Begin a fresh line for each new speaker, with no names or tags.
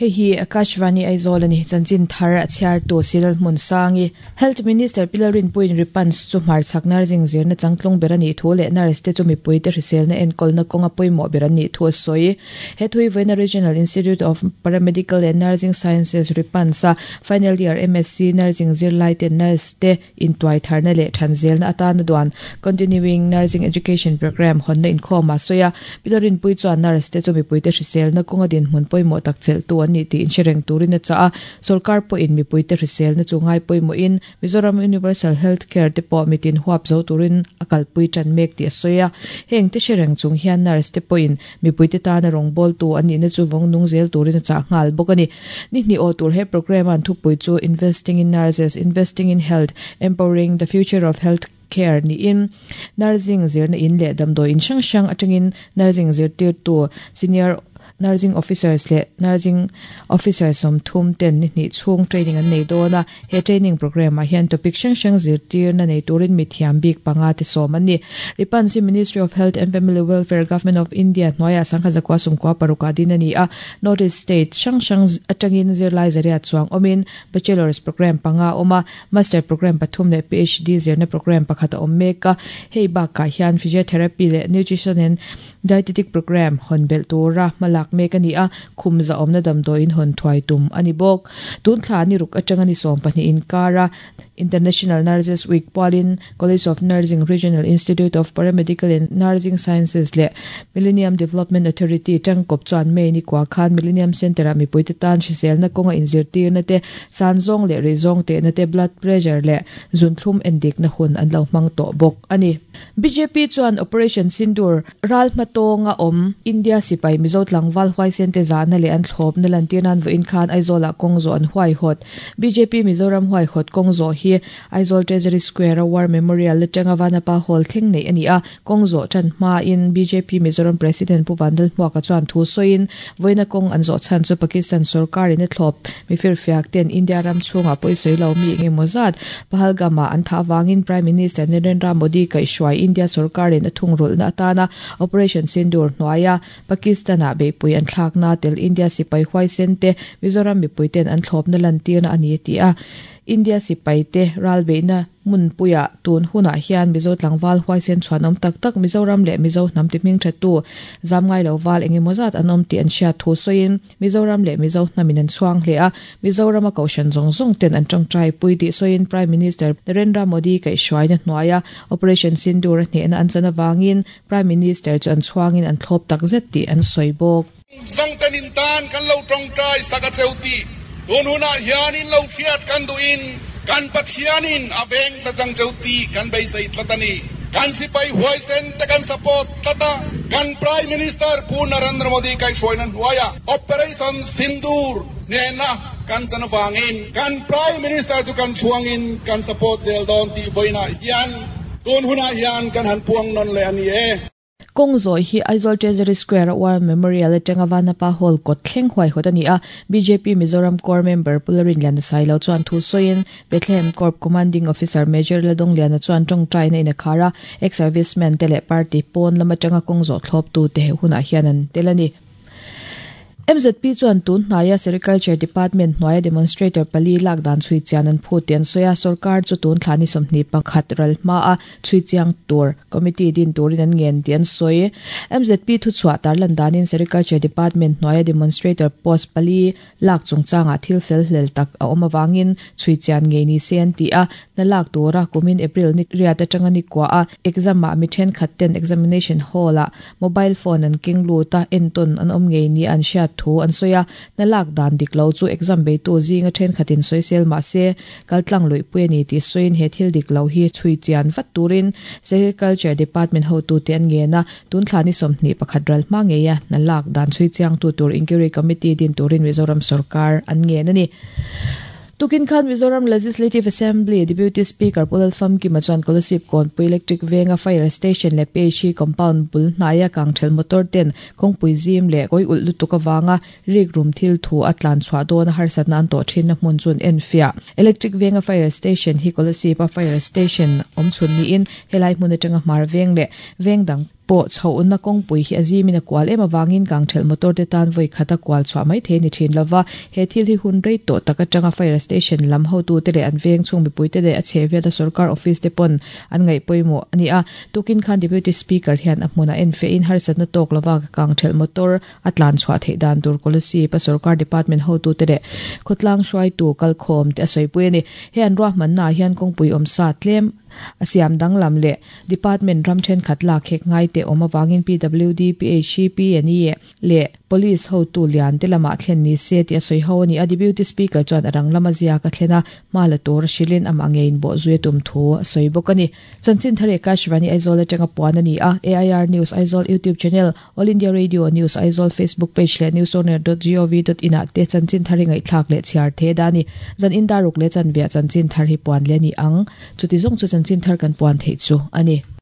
Hei hi Akashvani Aizawl a ni. Chanchin thar a chhiartu Cyril Hmunsangi. Health Minister Pi Lalrinpuiin Ripans chu hmarchhak nursing zirna changtlung ber a nih thu leh nurse te chu mipuite hriselna enkawlna kawnga pawimawh ber an nih thu a sawi. He thui vawiina Regional Institute of Paramedical and Nursing Sciences, Ripans, a final year MSc Nursing zirlaiten nurse te intuai tharna leh than zelna atana duan Continuing Nursing Education Programme hawnna inkhawm a sawi a. Pi Lalrinpuii chuan nurse te chu mipuite hriselna kawnga dinhmun pawimawh tak chelhtu an nih tih inhre reng turin a chah a. Sorkar pawhin mipuite hriselna chu ngai pawimawhin Mizoram Universal Health Care te pawh mitin huap zo turin a kalpui tan mek tih a sawi a. Heng te hre reng chung hian nurse te pawhin mipuite tana rawngbawltu an nihna chu vawng nung zel turin a chah nghal bawk a ni. Ni hnih aw tur he programme an thupui chu Investing in Nurses, Investing in Health, Empowering the Future of Health Care niin nursing zirna in leh damdawi in hrang hrang atangin nursing zirtirtu senior Nursing Officers leh Nursing Officer 30 ten ni hnih chhung training an nei dawn a, he training programme ah hian topic hrang hrang zirtirna nei turin mithiam bik panga te sawm an ni. Ripansi Ministry of Health and Family Welfare Government of India hnuaiah sangha zakua sumkua paruk ah din a ni a, North East State hrang hrang atangin zirlai zariat chuang awmin Bachelor's programme panga a awm a, Master programme pathum leh PhD zirna programme pakhat a awm mek a, hei bakah hian Physiotherapy leh Nutrition and Dietetic Programme hawn belh tura hmalak mek a ni a, khum zahawmna damdawiin hawn thuai tum a ni bawk. Tun thla ni ruk atanga ni 12 inkara International Nurses Week pualin College of Nursing, Regional Institute of Paramedical and Nursing Sciences leh Millennium Development Authority tangkawp chuan May ni kua khan Millennium Centre-ah mipuite tan hriselna kawnga inzirtirna te, san zawng leh rei zawng tehna te, blood pressure leh zunthlum endikna hun an lo hmang tawh bawk a ni. Bjp chuan Operation Sindoor ral hmatawnga awm India sipai Mizo tlangval huaisen te zahna leh an thlawpna lantir nan vawiin khan Aizawlah kawng zawh an huaihawt. Bjp Mizoram huaihawt kawng zawh hi Aizawl Treasury Square a War Memorial atanga Vanapa Hall thleng neih a ni a, kawng zawh tan hmain bjp Mizoram President Pu Vandal Hmuaka chuan thu sawiin vawiina kawng an zawh chhan chu Pakistan sorkarin a thlawp mifirfiak ten India ram chhungah pawisawi lo mi engemaw zat Pahalgam-ah an thah avangin Prime Minister Narendra Modi kaihhruai India sorkarin a thungrulhna atana Operation Sindoor hnuaia Pakistan-ah beihpui an thlakna tel India sipai huaisen te Mizoram mipuiten an thlawpna lantirna a ni a ti a. India sipaite ralbeihna hmunpuiah tun hunah hian Mizo tlangval huaisen chhuanawm tak tak Mizoram leh Mizo hnam ti hmingthatu zam ngai lo val engemaw zat an awm tih an hriat thu sawiin Mizoram leh Mizo hnamin an chhuang hle a, Mizorama kohhran zawng zawng ten an tawngtai pui tih sawiin Prime Minister Narendra Modi kaihhruaina hnuaia Operation Sindoor a hnehna an chan avangin Prime Minister chu an chhuangin an thlawp tak zet tih an sawi bawk.
Zawngten in tan kan lo tawngtai sak a cheu tih tun hunah hian in lo hriat kan duhin kan Pathianin a veng tlat ang cheu tih kan beisei tlat a ni. Kan sipai huaisen te kan support tlat a, kan Prime Minister Pu Narendra Modi kaihhruaina hnuaiah Operation Sindoor hnehna kan chan avangin kan Prime Minister chu kan chhuangin kan support zel dawn tih vawiinah hian tun hunah hian kan han puang nawn leh a ni e.
Kawng zawih hi Aizawl Treasury Square a War Memorial atanga Vanapa Hall kawt thleng huaihawt a ni a, bjp Mizoram Core member Pu Larinliana Sailo chuan thu sawiin Bethlehem Corps Commanding Officer Major Ladongliana chuan tawngtaina in a khar a, ex-servicemen te leh party pawn lam atanga kawng zawh thlawptu te he hunah hian an tel a ni. MZP chuan tun hnaia Sericulture Department hnuaia demonstrator pali lak dan chhui chian an phut tih an sawi a, sorkar chu tun thla ni 21 ral hmaa chhui chiang tur committee din turin an ngen tih an sawi. MZP thuchhuah tarlan danin Sericulture Department hnuaia demonstrator post pali lak chungchangah thil fel hlel tak a awm avangin chhui chian ngei ni se an ti a, hna lak tura kumin April ni riat atanga ni kua a exam ah mi thenkhat ten examination hall ah mobile phone an keng lut a, entawn an awm ngei ni an hriat thu an sawi a, hna lak dan dik lo chu exam beitu zinga thenkhatin sawisel mah se kaltlang luihpui a ni tih sawiin he thil dik lo hi chhui chian vat turin Sericulture Department hotute an ngen a, Tun thla ni 21 ral hma ngeia hna lak dan chhui chiangtu tur Inquiry Committee din turin Mizoram sorkar an ngen a ni. Tukin khan Mizoram Legislative Assembly Deputy Speaker Pu Lalfamkima chuan Kolasib Kawnpui Electric Venga Fire Station leh PHE Compound bul hnaia kangthel motor ten kawngpui zim leh kawi ulh lutuk avanga rikrum thil thu a tlan chhuah dawn a harsatna an tawh thinna hmun chu an enfiah. Electric Venga Fire Station hi Kolasib-a Fire Station awm chhun niin helai hmun atanga hmar veng leh veng dang. pawh chhohna kawngpui hi a zimin a kual em avangin kangthelh motor te tan vawi khata kual chhuah mai thei a ni thin lova. He thil hi hun rei tawh tak atanga Fire Station lam hotute leh an veng chhung mipuite leh a chhehvela sorkar office te pawn an ngaih pawimawh a ni a. Tukin khan Deputy Speaker hian a hmunah enfehin harsatna tawk lova kangthelh motor a tlan chhuah theih dan tur Kolasib a sorkar department hotute leh khawtlang hruaitu kalkhawm te a sawipui a ni. He an ruahmanna ah hian kawngpui awmsa tlem a siam danglam leh department ram thenkhat lak hek ngai te awm avangin PWD, PHEP, ne leh Police hotu lian te lamah thlen ni se tih a sawi ho a ni a. Deputy Speaker chuan a rang lama ziak a thlen a, hma la tur a hrilhin amah ngeiin bawh zui a tum thu a sawi bawk a ni. Chanchin thar Akashvani Aizawl atanga puan a ni a, AIR News Aizawl YouTube channel, All India Radio News Aizawl Facebook page leh newsoner dot gov dot in ah te chanchin thar hi ngaihthlak leh chhiar the da a ni. Zan in daruk leh chanviah chanchin thar hi puan leh a ni ang. Chuti zawng chu chanchin thar kan puan theih chu a ni.